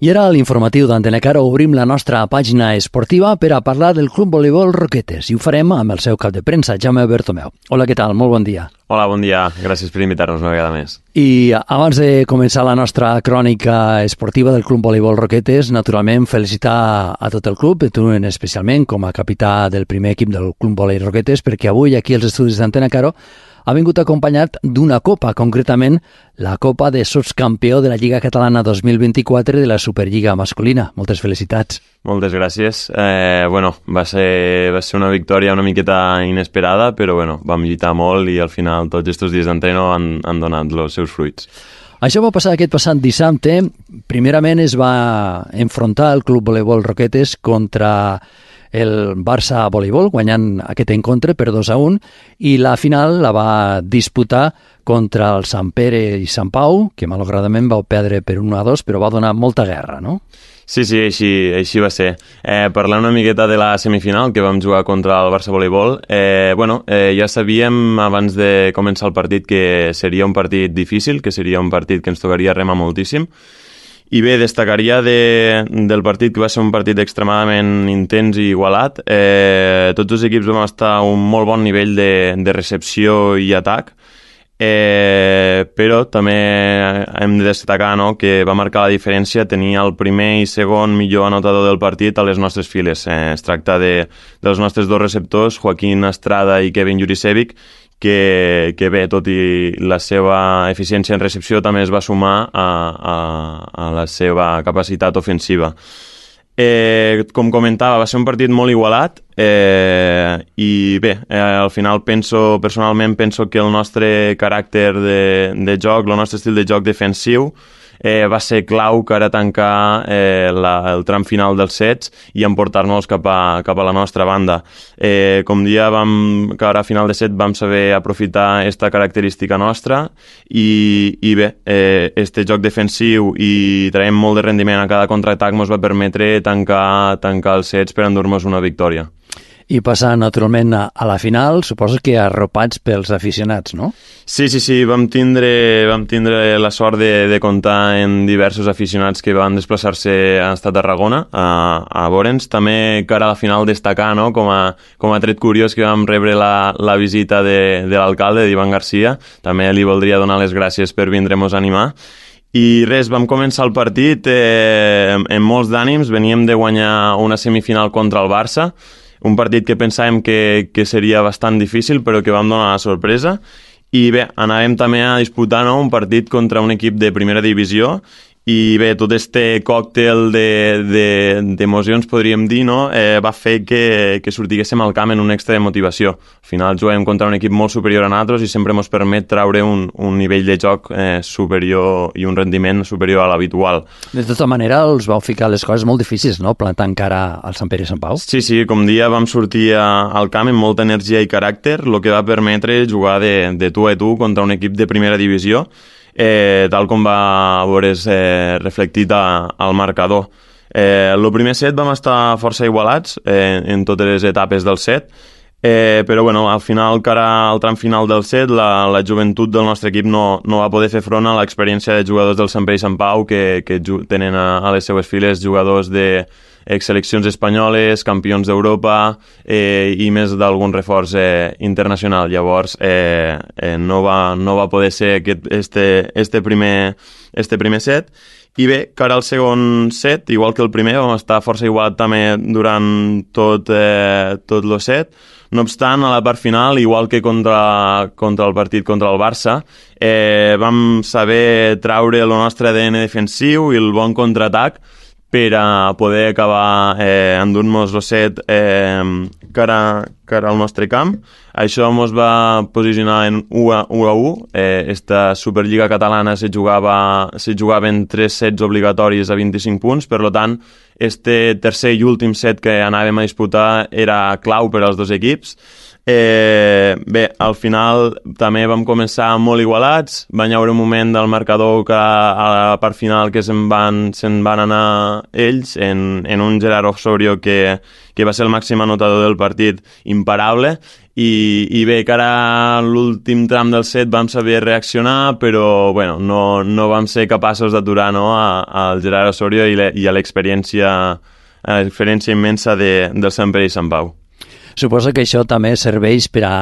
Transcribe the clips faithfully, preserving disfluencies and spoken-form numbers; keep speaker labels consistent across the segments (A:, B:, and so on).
A: I ara a l'informatiu d'Antena Caro obrim la nostra pàgina esportiva per a parlar del Club Voleibol Roquetes i ho farem amb el seu cap de premsa, Jaume Bertomeu. Hola, què tal? Molt bon dia.
B: Hola, bon dia. Gràcies per invitar-nos una vegada més.
A: I abans de començar la nostra crònica esportiva del Club Voleibol Roquetes, naturalment felicitar a tot el club, tu especialment com a capità del primer equip del Club Voleibol Roquetes, perquè avui aquí als estudis d'Antena Caro ha vingut acompanyat d'una copa, concretament la Copa de Sotscampió de la Lliga Catalana dos mil vint-i-quatre de la Superliga masculina. Moltes felicitats.
B: Moltes gràcies. Eh, bueno, va ser, va ser una victòria una miqueta inesperada, però bueno, vam lluitar molt i al final tots aquests dies d'entreno han, han donat els seus fruits.
A: Això va passar aquest passat dissabte. Primerament es va enfrontar el Club Voleibol Roquetes contra el Barça Voleibol, guanyant aquest encontre per dos a un, i la final la va disputar contra el Sant Pere i Sant Pau, que malauradament va perdre per un a dos, però va donar molta guerra, no?
B: Sí, sí, així, així va ser. Eh, parlant una miqueta de la semifinal que vam jugar contra el Barça Voleibol, eh, bueno, eh, ja sabíem abans de començar el partit que seria un partit difícil, que seria un partit que ens tocaria remar moltíssim. I bé, destacaria de, del partit que va ser un partit extremadament intens i igualat. Eh, tots els equips vam estar a un molt bon nivell de, de recepció i atac, eh, però també hem de destacar, no, que va marcar la diferència tenir el primer i segon millor anotador del partit a les nostres files. Eh, es tracta de, dels nostres dos receptors, Joaquín Estrada i Kevin Jurisevic, que, que bé, tot i la seva eficiència en recepció també es va sumar a, a, a la seva capacitat ofensiva. Eh, com comentava, va ser un partit molt igualat eh, i bé, eh, al final penso, personalment penso que el nostre caràcter de, de joc, el nostre estil de joc defensiu Eh, va ser clau que ara tancar eh, la, el tram final dels sets i emportar-nos cap a, cap a la nostra banda. Eh, com dia vam, que ara a final de set vam saber aprofitar aquesta característica nostra i, i bé, eh, este joc defensiu i traiem molt de rendiment a cada contraatac ens va permetre tancar, tancar els sets per endur-nos una victòria.
A: I passar, naturalment, a, a la final, suposo que arropats pels aficionats, no?
B: Sí, sí, sí, vam tindre, vam tindre la sort de, de comptar en diversos aficionats que van desplaçar-se a Estat Tarragona, a, a veure'ns. També cara a la final destacar, no?, com a, com a tret curiós que vam rebre la, la visita de, de l'alcalde, d'Ivan Garcia. També li voldria donar les gràcies per vindre-nos a animar. I res, vam començar el partit eh, amb molts d'ànims. Veníem de guanyar una semifinal contra el Barça, un partit que pensàvem que, que seria bastant difícil, però que vam donar la sorpresa. I bé, anàvem també a disputar, no?, un partit contra un equip de primera divisió i bé, tot este còctel d'emocions, de, de, podríem dir, no?, eh, va fer que, que sortiguéssim al camp en un extra de motivació. Al final juguem contra un equip molt superior a nosaltres i sempre ens permet traure un, un nivell de joc eh, superior i un rendiment superior a l'habitual.
A: De tota manera, els vau ficar les coses molt difícils, no?, plantant cara al Sant Pere i Sant Pau.
B: Sí, sí, com dia vam sortir a, al camp amb molta energia i caràcter, el que va permetre jugar de, de tu a tu contra un equip de primera divisió, Eh, tal com va veure's eh, reflectit a, al marcador. Eh, el primer set vam estar força igualats eh, en totes les etapes del set, eh, però bueno, al final, cara al tram final del set, la, la joventut del nostre equip no, no va poder fer front a l'experiència de jugadors del Sant Pere i Sant Pau que, que tenen a, a les seues files jugadors de ex-seleccions espanyoles, campions d'Europa eh, i més d'algun reforç eh, internacional. Llavors eh, eh, no, va, no va poder ser aquest, este, este, primer, este primer set. I bé, cara al segon set, igual que el primer, vam estar força igualat també durant tot, eh, tot el set. No obstant, a la part final, igual que contra, contra el partit contra el Barça, eh, vam saber traure el nostre A D N defensiu i el bon contraatac per a poder acabar eh, endur-nos el set eh, cara, cara al nostre camp. Això ens va posicionar en u a u. Eh, esta Superliga catalana se jugava, se jugava en tres sets obligatoris a vint-i-cinc punts, per tant, este tercer i últim set que anàvem a disputar era clau per als dos equips. Eh, bé, al final també vam començar molt igualats, va haver un moment del marcador que a la part final que se'n van, se'n van anar ells en, en un Gerard Osorio que, que va ser el màxim anotador del partit, imparable, i, i bé, que ara l'últim tram del set vam saber reaccionar, però bueno, no, no vam ser capaços d'aturar, no, al Gerard Osorio i, le, i a l'experiència a l'experiència immensa de, del Sant Pere i Sant Pau.
A: Suposo que això també serveix per a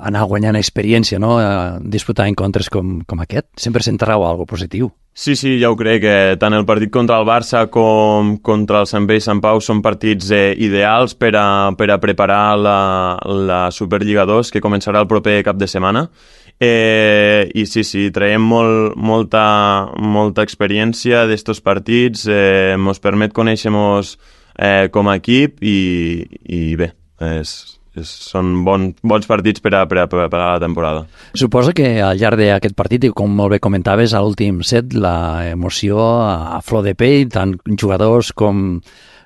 A: anar guanyant experiència, no? A disputar encontres com, com aquest. Sempre se'n trau alguna cosa positiu.
B: Sí, sí, ja ho crec, que tant el partit contra el Barça com contra el Sant Pere i Sant Pau són partits eh, ideals per a, per a preparar la, la Superliga dos, que començarà el proper cap de setmana. Eh, I sí, sí, traiem molt, molta, molta experiència d'estos partits, eh, mos permet conèixer-nos eh, com a equip i, i bé, és, és, són bon, bons partits per a, per a preparar la temporada.
A: Suposo que al llarg d'aquest partit, i com molt bé comentaves, a l'últim set, la emoció a flor de pell, tant jugadors com,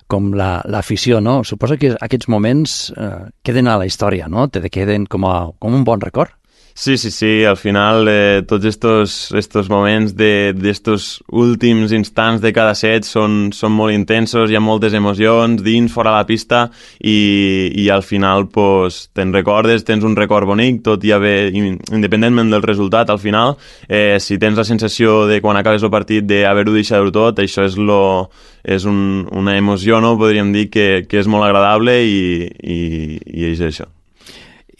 A: com l'afició, la, no? Suposo que aquests moments eh, queden a la història, no? Te queden com, a, com un bon record.
B: Sí, sí, sí, al final eh, tots estos, estos moments d'estos últims instants de cada set són, són molt intensos, hi ha moltes emocions dins, fora la pista i, i al final pues, te'n recordes, tens un record bonic, tot i haver, independentment del resultat, al final, eh, si tens la sensació de quan acabes el partit d'haver-ho deixat tot, això és, lo, és un, una emoció, no? Podríem dir que, que és molt agradable i, i, i és això.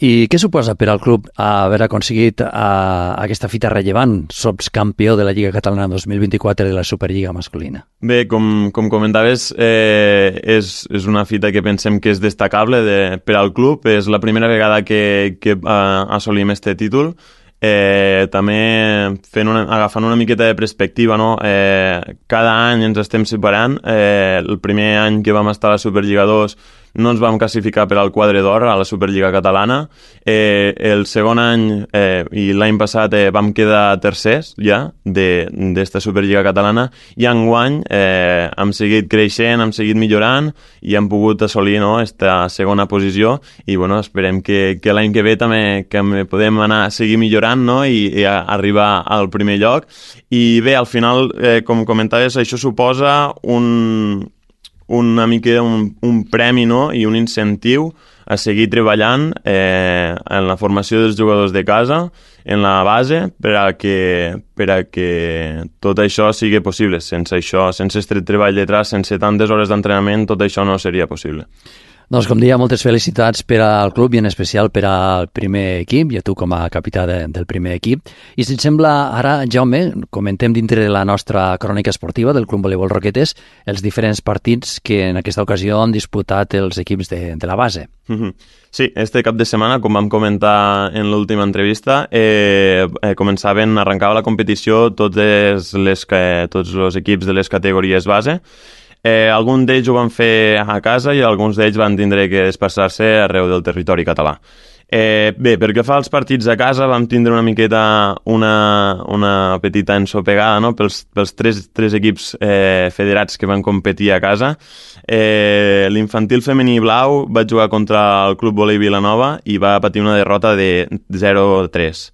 A: I què suposa per al club haver aconseguit a, aquesta fita rellevant, sots campió de la Lliga Catalana dos mil vint-i-quatre de la Superliga masculina?
B: Bé, com, com comentaves, eh, és, és una fita que pensem que és destacable de, per al club. És la primera vegada que, que uh, assolim este títol. Eh, també fent una, agafant una miqueta de perspectiva, no? Eh, cada any ens estem separant. Eh, el primer any que vam estar a la Superliga dos no ens vam classificar per al quadre d'or a la Superliga catalana. Eh, el segon any eh, i l'any passat eh, vam quedar tercers ja d'esta Superliga catalana i enguany eh, hem seguit creixent, hem seguit millorant i hem pogut assolir, no, esta segona posició i bueno, esperem que, que l'any que ve també que podem anar a seguir millorant, no, i, i a arribar al primer lloc. I bé, al final, eh, com comentaves, això suposa un una mica un, un premi, no? I un incentiu a seguir treballant eh, en la formació dels jugadors de casa, en la base, per a que, per a que tot això sigui possible. Sense això, sense este treball detrás, sense tantes hores d'entrenament, tot això no seria possible.
A: Doncs, com deia, moltes felicitats per al club i en especial per al primer equip i a tu com a capità de, del primer equip. I si et sembla, ara, Jaume, comentem dintre de la nostra crònica esportiva del Club Voleibol Roquetes els diferents partits que en aquesta ocasió han disputat els equips de, de la base.
B: Mm-hmm. Sí, este cap de setmana, com vam comentar en l'última entrevista, eh, eh, començaven, arrencava la competició totes les, tots els equips de les categories base. Eh, alguns d'ells ho van fer a casa i alguns d'ells van tindre que desplaçar-se arreu del territori català. Eh, bé, pel que fa als partits a casa vam tindre una miqueta una, una petita ensopegada, no? pels, pels tres, tres equips eh, federats que van competir a casa. Eh, l'infantil femení blau va jugar contra el Club Voleibol Vilanova i va patir una derrota de zero a tres.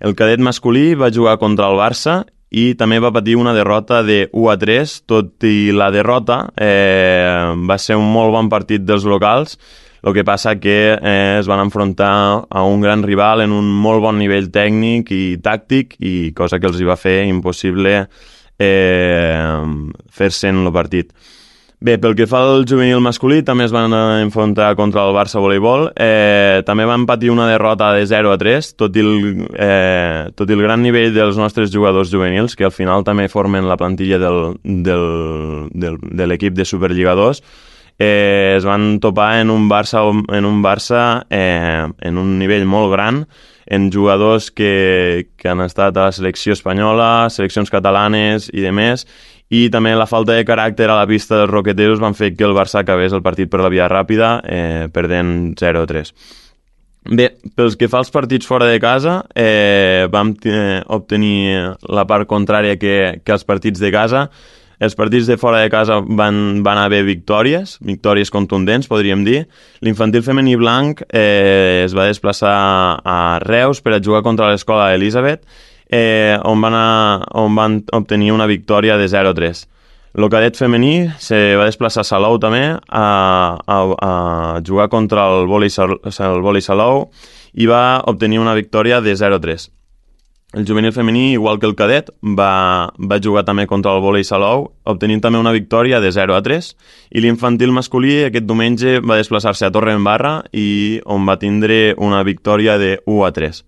B: El cadet masculí va jugar contra el Barça i també va patir una derrota de u a tres, tot i la derrota eh, va ser un molt bon partit dels locals, el que passa que eh, es van enfrontar a un gran rival en un molt bon nivell tècnic i tàctic, i cosa que els hi va fer impossible eh, fer-se en el partit. Bé, pel que fa al juvenil masculí, també es van enfrontar contra el Barça Voleibol. Eh, també van patir una derrota de zero a tres, tot i, el, eh, tot i el gran nivell dels nostres jugadors juvenils, que al final també formen la plantilla del, del, del, de l'equip de Superliga dos. Eh, es van topar en un Barça, en un Barça eh, en un nivell molt gran, en jugadors que, que han estat a la selecció espanyola, seleccions catalanes i demés, i també la falta de caràcter a la pista dels roqueteros van fer que el Barça acabés el partit per la via ràpida, eh, perdent zero a tres. Bé, pels que fa als partits fora de casa, eh, vam eh, obtenir la part contrària que, que els partits de casa. Els partits de fora de casa van, van haver victòries, victòries contundents, podríem dir. L'infantil femení blanc eh, es va desplaçar a Reus per a jugar contra l'escola Elisabet, eh, on, van a, on van obtenir una victòria de zero a tres. El cadet femení se va desplaçar a Salou també a, a, a jugar contra el vòlei, el vòlei Salou i va obtenir una victòria de zero a tres. El juvenil femení, igual que el cadet, va, va jugar també contra el vòlei Salou, obtenint també una victòria de zero a tres, i l'infantil masculí aquest diumenge va desplaçar-se a Torredembarra i on va tindre una victòria de u a tres.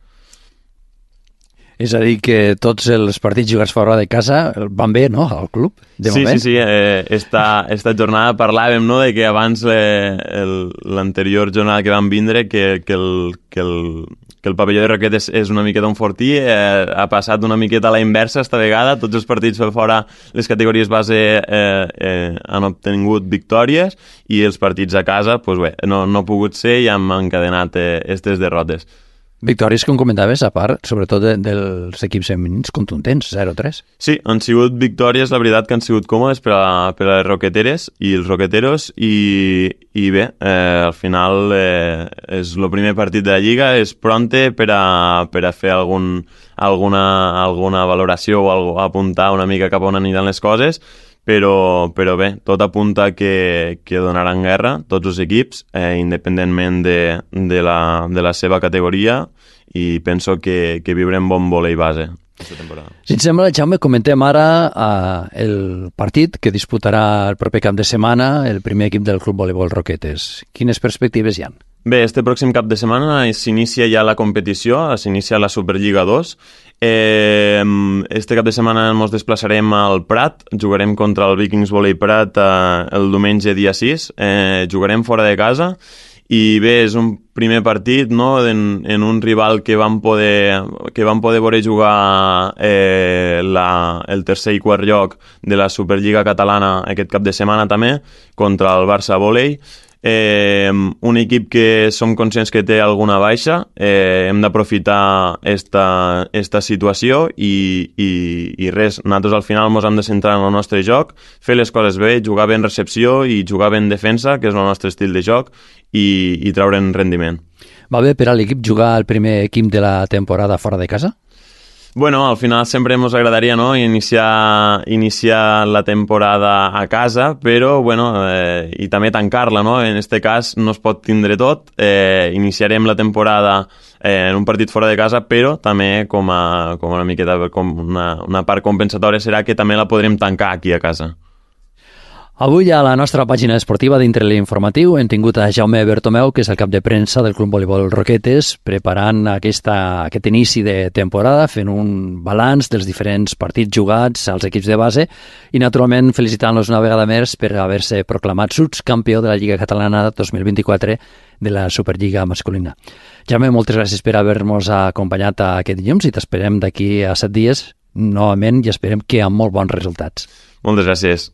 A: És a dir, que tots els partits jugats fora de casa van bé, no?, al club, de
B: sí,
A: moment.
B: Sí, sí, eh, esta, esta jornada parlàvem, no?, de que abans l'anterior jornada que vam vindre, que, que, el, que, el, que el pavelló de Roquetes és una miqueta un fortí, eh, ha passat una miqueta a la inversa esta vegada, tots els partits per fora, les categories base eh, eh, han obtingut victòries i els partits a casa, pues bé, no, no ha pogut ser i han encadenat eh, estes derrotes.
A: Victòries, com comentaves, a part, sobretot de, dels equips femenins contundents, zero a tres.
B: Sí, han sigut victòries, la veritat, que han sigut còmodes per a, per a les roqueteres i els roqueteros i, i bé, eh, al final eh, és el primer partit de la Lliga, és pronte per a, per a fer algun, alguna, alguna valoració o algo, apuntar una mica cap a on aniran les coses, però, però bé, tot apunta que, que donaran guerra tots els equips, eh, independentment de, de, la, de la seva categoria, i penso que, que viurem bon vòlei base aquesta temporada.
A: Si et sembla, Jaume, comentem ara eh, el partit que disputarà el proper cap de setmana el primer equip del Club Voleibol Roquetes. Quines perspectives hi ha?
B: Bé, este pròxim cap de setmana s'inicia ja la competició, s'inicia la Superliga dos. Eh, este cap de setmana ens desplaçarem al Prat, jugarem contra el Vikings Volley Prat eh, el diumenge dia sis, eh, jugarem fora de casa i bé, és un primer partit, no?, en, en un rival que vam poder, que vam poder veure jugar eh, la, el tercer i quart lloc de la Superliga catalana aquest cap de setmana també, contra el Barça Volley. Eh, un equip que som conscients que té alguna baixa, eh, hem d'aprofitar esta, esta situació i, i, i res, nosaltres al final ens hem de centrar en el nostre joc, fer les coses bé, jugar bé en recepció i jugar bé en defensa, que és el nostre estil de joc, i, i treure'n rendiment.
A: Va bé per a l'equip jugar el primer equip de la temporada fora de casa?
B: Bueno, al final sempre ens agradaria, no?, iniciar, iniciar la temporada a casa, però, bueno, eh, i també tancar-la, no? En este cas no es pot tindre tot. Eh, iniciarem la temporada eh, en un partit fora de casa, però també com, a, com una miqueta, com una, una part compensatòria serà que també la podrem tancar aquí a casa.
A: Avui a la nostra pàgina esportiva dintre l'informatiu hem tingut a Jaume Bertomeu, que és el cap de premsa del Club Voleibol Roquetes, preparant aquesta, aquest inici de temporada, fent un balanç dels diferents partits jugats als equips de base i, naturalment, felicitant-los una vegada més per haver-se proclamat subcampió de la Lliga Catalana dos mil vint-i-quatre de la Superliga masculina. Jaume, moltes gràcies per haver-nos acompanyat aquest dilluns i t'esperem d'aquí a set dies novament i esperem que amb molt bons resultats.
B: Moltes gràcies.